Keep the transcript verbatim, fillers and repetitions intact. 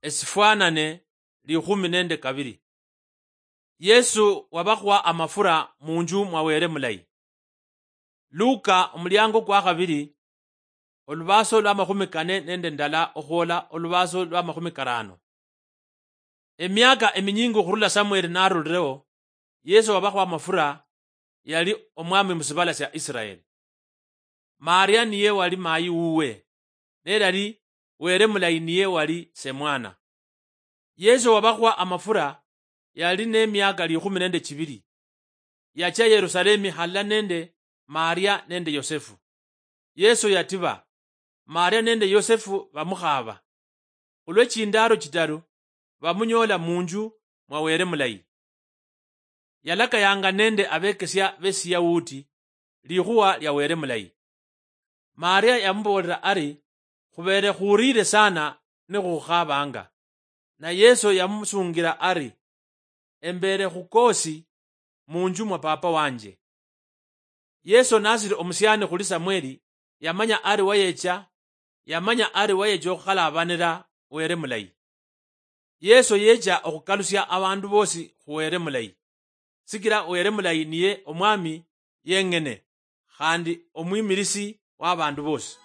Esifwanane likhumi nende kabili. Yesu wabakhwa amafura munju mwa Wele mulayi. Luka omuliango kwa khabili, olubaso lwa makhumi kane nende ndala okhwola olubaso lwa makhumi karano. Emiaka eminyingi okhurula Samueli narulireo, Yesu wabakhwa amafura yali omwami musibala sia Israeli. Maria niye wali mayi wuwe, nelali Wele mulayi niye wali semwana. Yesu wabakhwa amafura yali nemiaka likhumi nende chibili. Yachia Yerusalemi halala nende Maria nende Yosefu. Yesu yatiba, Maria nende Yosefu bamukhaba. Khulwe chindalo chitaru, bamunyola munju mwa Wele mulayi. Yalakayanga nende abekesia besiyauti likhuwa lia Wele mulayi. Maria yamuboolera ari, khubere khuriire sana nikhukhabanga. Na Yesu yamusungira ari, embere khukosi munju mwa Papa wanje. Yesu nasiri omusiani khuli Samueli, yamanya ari wayecha, yamanya ari wayecha okhukhalaabanira Wele mulayi. Yesu yecha okhukalusia abandu bosi khu Wele mulayi, sikila Wele mulayi niye omwami yeng'ene, khandi omwimilisi w'abandu bosi.